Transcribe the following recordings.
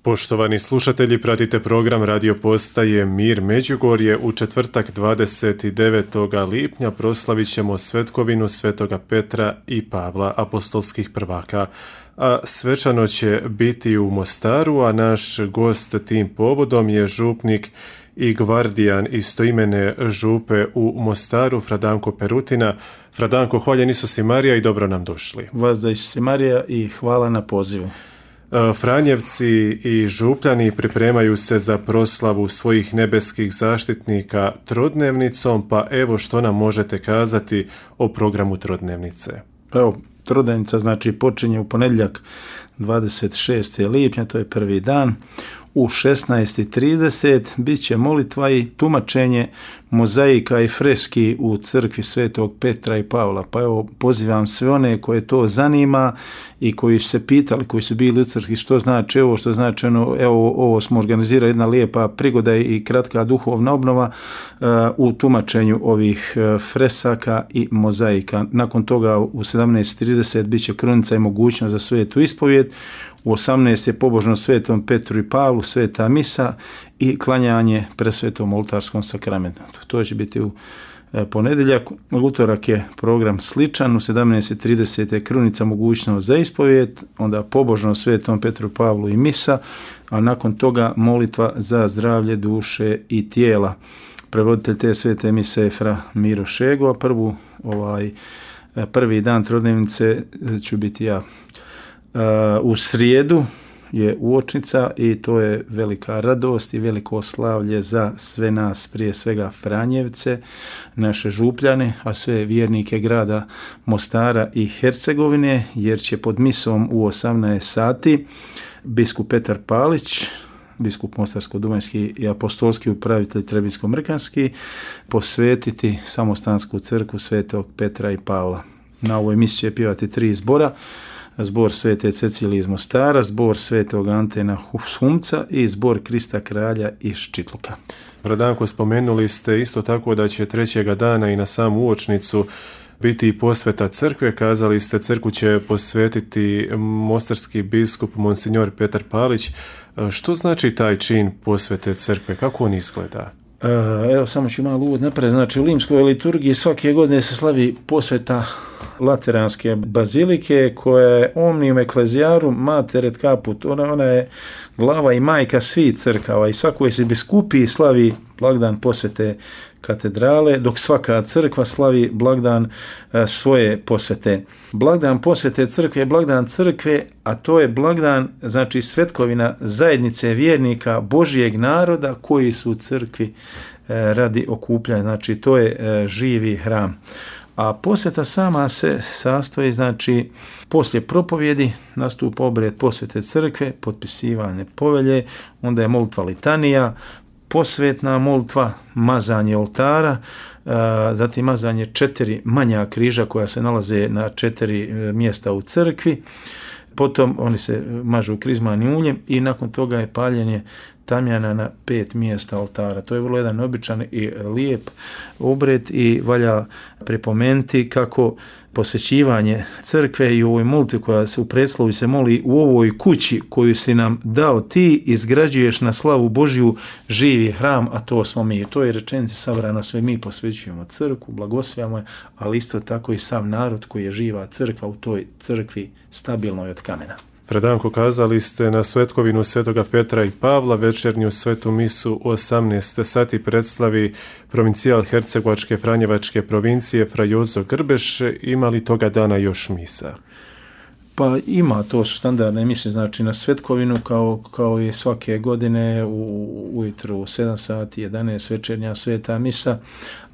Poštovani slušatelji, pratite program radio postaje Mir Međugorje. U četvrtak 29. lipnja proslavit ćemo svetkovinu Svetoga Petra i Pavla, apostolskih prvaka. A svečano će biti u Mostaru, a naš gost tim povodom je župnik i gvardijan istoimene župe u Mostaru, Fra Danko Perutina. Fra Danko, hvaljen Isus i Marija i dobro nam došli. Vas da Isus i Marija i hvala na pozivu. Franjevci i župljani pripremaju se za proslavu svojih nebeskih zaštitnika trodnevnicom, pa evo što nam možete kazati o programu trodnevnice. Evo, trodnevnica znači počinje u ponedjeljak 26. lipnja, to je prvi dan. U 16:30 bit će molitva i tumačenje mozaika i freski u crkvi Svetog Petra i Pavla. Pa evo, pozivam sve one koje to zanima i koji su se pitali, koji su bili u crkvi što znači ovo, što znači ono, evo ovo smo organizirali, jedna lijepa prigoda i kratka duhovna obnova u tumačenju ovih fresaka i mozaika. Nakon toga u 17:30 bit će krunica i mogućnost za svetu ispovijed. U 18 je pobožno Svetom Petru i Pavlu, sveta misa i klanjanje presvetom oltarskom sakramentu. To će biti u ponedjeljak. U utorak je program sličan, u 17:30 je krunica mogućnost za ispovijed, onda pobožno Svetom Petru, Pavlu i misa, a nakon toga molitva za zdravlje duše i tijela. Prevoditelj te svete mise je Fra Miro Šego, a prvi dan trodnevnice ću biti ja. U srijedu je uočnica i to je velika radost i veliko slavlje za sve nas, prije svega Franjevce, naše župljane, a sve vjernike grada Mostara i Hercegovine, jer će pod misom u 18 sati biskup Petar Palić, biskup Mostarsko-dubanjski i apostolski upravitelj Trebinsko-mrkanski, posvetiti samostansku crkvu Svetog Petra i Pavla. Na ovoj misi će pjevati 3 zbora. Zbor Svete Cecilije iz Mostara, zbor Svetog Antena Humca i zbor Krista Kralja iz Čitluka. Fra Danko, spomenuli ste isto tako da će trećega dana i na samu uočnicu biti i posveta crkve. Kazali ste crkvu će posvetiti mostarski biskup Monsignor Petar Palić. Što znači taj čin posvete crkve? Kako on izgleda? Evo, samo ću malo uvod napraviti. Znači, u limskoj liturgiji svake godine se slavi posveta Lateranske bazilike, koja je omnium ecclesiarum mater et caput. Ona je glava i majka svih crkava i svakoj se biskupiji slavi blagdan posvete katedrale, dok svaka crkva slavi blagdan svoje posvete. Blagdan posvete crkve je blagdan crkve, a to je blagdan, znači svetkovina zajednice vjernika Božijeg naroda koji su u crkvi radi okupljanja. Znači to je živi hram. A posveta sama se sastoji, znači poslije propovjedi nastupa obred posvete crkve, potpisivanje povelje, onda je molitva litanija, posvetna molitva, mazanje oltara, zatim mazanje 4 manja križa koja se nalaze na 4 mjesta u crkvi, potom oni se mažu krizmanim uljem i nakon toga je paljenje tamjana na 5 mjesta oltara. To je vrlo jedan običan i lijep obred i valja pripomenuti kako posvećivanje crkve i u ovoj molitvi koja se u predslovi se moli u ovoj kući koju si nam dao ti, izgrađuješ na slavu Božju živi hram, a to smo mi. To je rečenici sabrano, sve mi posvećujemo crkvu, blagoslavljamo je, ali isto tako i sav narod koji je živa crkva u toj crkvi stabilnoj od kamena. Fra Danko, kazali ste na svetkovinu Svetoga Petra i Pavla, večernju svetu misu u 18 sati predslavi provincijal Hercegovačke Franjevačke provincije Fra Jozo Grbeš. Ima li toga dana još misa? Pa ima, to su standardne mise, znači na svetkovinu kao i svake godine ujutru u 7 sati, 11 večernja sveta misa,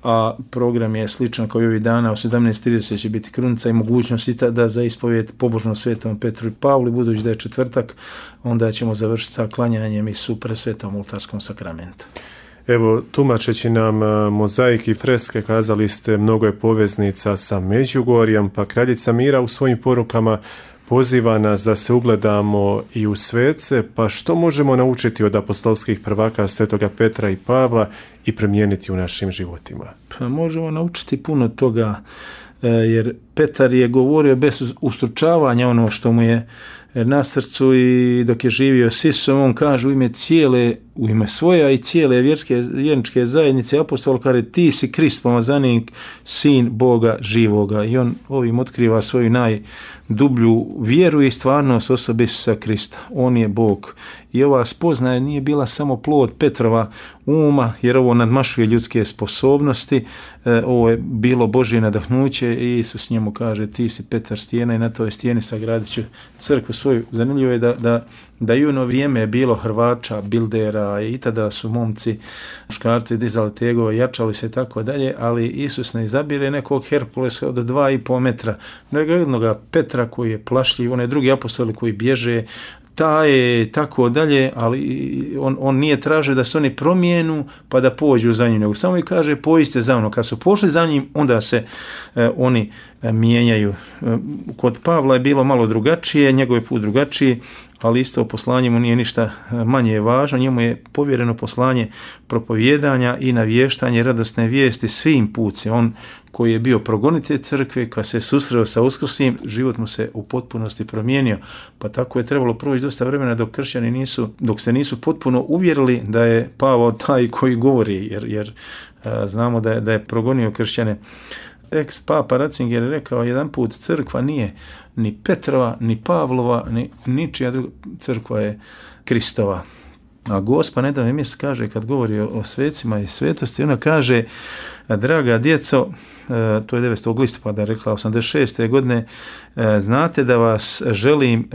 a program je sličan kao i ovih dana. U 17:30 će biti krunica i mogućnost da za ispovijed pobožno Svetom Petru i Pavlu, budući da je četvrtak, onda ćemo završiti sa klanjanjem i su presvetom oltarskom sakramentu. Evo, tumačeći nam mozaik i freske, kazali ste mnogo je poveznica sa Međugorjem, pa kraljica Mira u svojim porukama poziva nas da se ugledamo i u svece, pa što možemo naučiti od apostolskih prvaka Svetoga Petra i Pavla i primijeniti u našim životima? Pa možemo naučiti puno toga, jer Petar je govorio bez ustručavanja ono što mu je na srcu i dok je živio s Isusom, on kaže u ime svoja i cijele vjerničke zajednice apostol kaže ti si Krist, pomazanik, sin Boga živoga, i on ovim otkriva svoju najdublju vjeru i stvarnost osobe Isusa Krista. On je Bog. I ova spoznaja nije bila samo plod Petrova uma, jer ovo nadmašuje ljudske sposobnosti, ovo je bilo Božje nadahnuće i Isus njemu kaže ti si Petar stijena i na toj stijeni sagradit ću crkvu svoju. Zanimljivo je da i ono vrijeme je bilo hrvača, bildera i tada su momci, muškarci dizali tegove, jačali se i tako dalje, ali Isus ne izabire nekog Herkulesa od 2,5 metra, nego jednoga Petra koji je plašljiv, one drugi apostoli koji bježe, taj tako dalje, ali on nije tražio da se oni promijenu pa da pođu za njim, nego samo i kaže pođite za mnom. Kad su pošli za njim, onda se oni mijenjaju. Kod Pavla je bilo malo drugačije, njegov je put drugačiji, ali isto poslanje mu nije ništa manje važno. Njemu je povjereno poslanje propovijedanja i navještanje radosne vijesti svim pucima. On koji je bio progonitelj crkve, kad se susreo sa Uskrsnim, život mu se u potpunosti promijenio. Pa tako je trebalo proći dosta vremena dok se nisu potpuno uvjerili da je Pavao taj koji govori, jer znamo da je progonio kršćane. Ex-papa Ratzinger je rekao jedan put, crkva nije ni Petrova, ni Pavlova, ni ničija druga, crkva je Kristova. A Gospa nedavno mjesto kaže, kad govori o svecima i svetosti, ona kaže, draga djeco, to je 9. listopada rekla 86. godine, znate da vas želim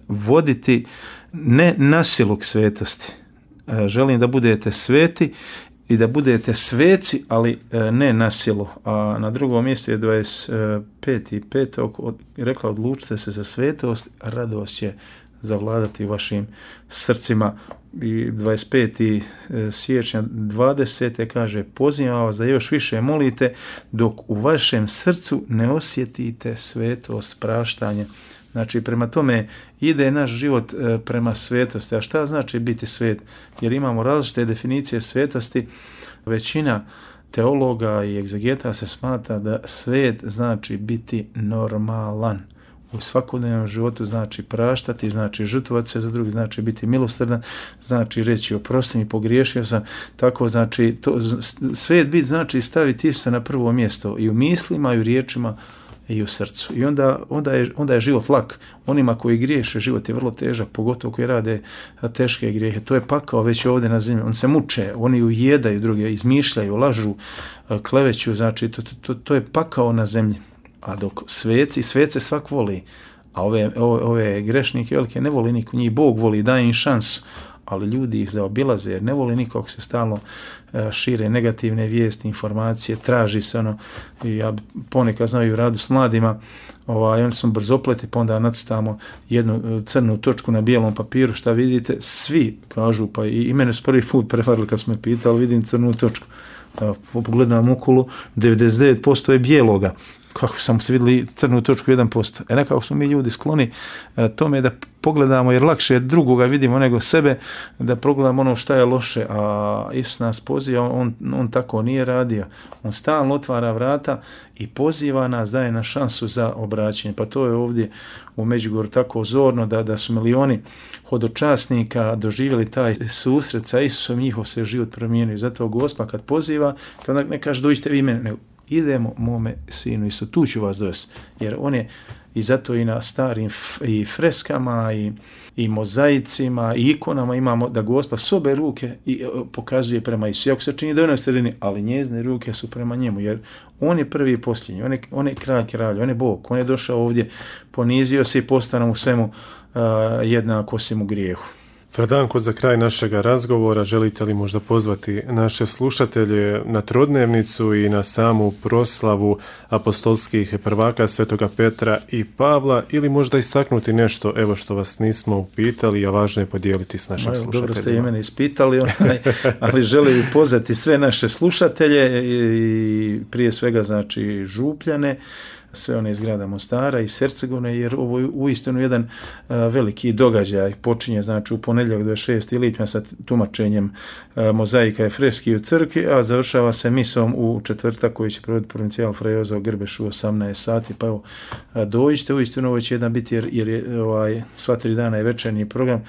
voditi ne na silu k svetosti. Želim da budete sveti i da budete sveci, ali ne na silu. A na drugom mjestu je 25.5. rekla, odlučite se za svetost, radost će zavladati vašim srcima. I 25. siječnja 20. kaže, pozivam vas da još više molite dok u vašem srcu ne osjetite svetost praštanja. Znači, prema tome ide naš život prema svetosti. A šta znači biti svet? Jer imamo različite definicije svetosti. Većina teologa i egzegeta se smatra da svet znači biti normalan. U svakodnevnom životu znači praštati, znači žrtvovati se za drugi, znači biti milosrdan, znači reći oprosti mi, pogriješio sam. Tako znači svet biti znači staviti Isusa na prvo mjesto i u mislima i u riječima i u srcu. I onda je život lak. Onima koji griješe, život je vrlo težak, pogotovo koji rade teške grijehe. To je pakao već ovdje na zemlji. Oni se muče, oni ujedaju druge, izmišljaju, lažu, kleveću, znači to je pakao na zemlji. A dok svece svak voli, a ove grešnike velike ne voli niko, njih Bog voli, daje im šansu, ali ljudi ih zaobilaze jer ne voli nikog, se stalno šire negativne vijesti, informacije, traži se ono, i ja ponekad znaju radu s mladima, oni su brzopleti, pa onda nacrtamo jednu crnu točku na bijelom papiru, šta vidite, svi kažu, pa i mene su prvi put prevarili kad smo me pitali, vidim crnu točku, pogledam okolo, 99% je bijeloga. Kako samo se vidjeli crnu točku 1%. Nekako smo mi ljudi skloni tome da pogledamo, jer lakše drugoga vidimo nego sebe, da pogledamo ono šta je loše, a Isus nas poziva, on tako nije radio. On stalno otvara vrata i poziva nas, daje na šansu za obraćanje. Pa to je ovdje u Međugorju tako zorno da su milioni hodočasnika doživjeli taj susret sa Isusom, njihov se život promijenio. Zato Gospa kad poziva, kad ne kaže dođite vi mene, nego idemo mome sinu Isu, tu ću vas dovesti, jer on je i zato i na starim i freskama i mozaicima i ikonama imamo da Gospa s obe ruke pokazuje prema Isu. Iako se čini da je u sredini, ali njezine ruke su prema njemu, jer on je prvi i posljednji, on je kralj kralja, on je Bog, on je došao ovdje, ponizio se i postao u svemu jednako osim u grijehu. Fradanko, za kraj našega razgovora želite li možda pozvati naše slušatelje na trodnevnicu i na samu proslavu apostolskih prvaka Svetoga Petra i Pavla, ili možda istaknuti nešto, evo što vas nismo upitali, a važno je podijeliti s našim slušateljima? Dobro ste i mene ispitali, ali želim pozvati sve naše slušatelje i prije svega znači Župljane, sve one iz grada Mostara i Hercegovine, jer ovo je uistinu jedan veliki događaj. Počinje znači u ponedjeljak 26. lipnja sa tumačenjem mozaika i freski u crkvi, a završava se misom u četvrtak koji će provoditi provincijal Frajozo Grbešu u 18 sati. Pa evo, dođite, uistinu ovo će jedan biti, jer je sva 3 dana je večernji program,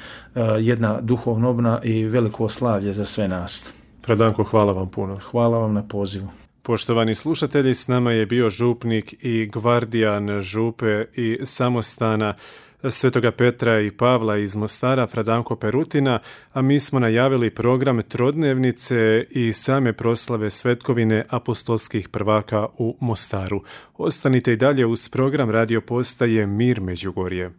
jedna duhovna obnova i veliko slavlje za sve nas. Pradanko, hvala vam puno. Hvala vam na pozivu. Poštovani slušatelji, s nama je bio župnik i gvardijan župe i samostana Svetoga Petra i Pavla iz Mostara, Pradanko Perutina, a mi smo najavili program trodnevnice i same proslave svetkovine apostolskih prvaka u Mostaru. Ostanite i dalje uz program radio postaje Mir Međugorje.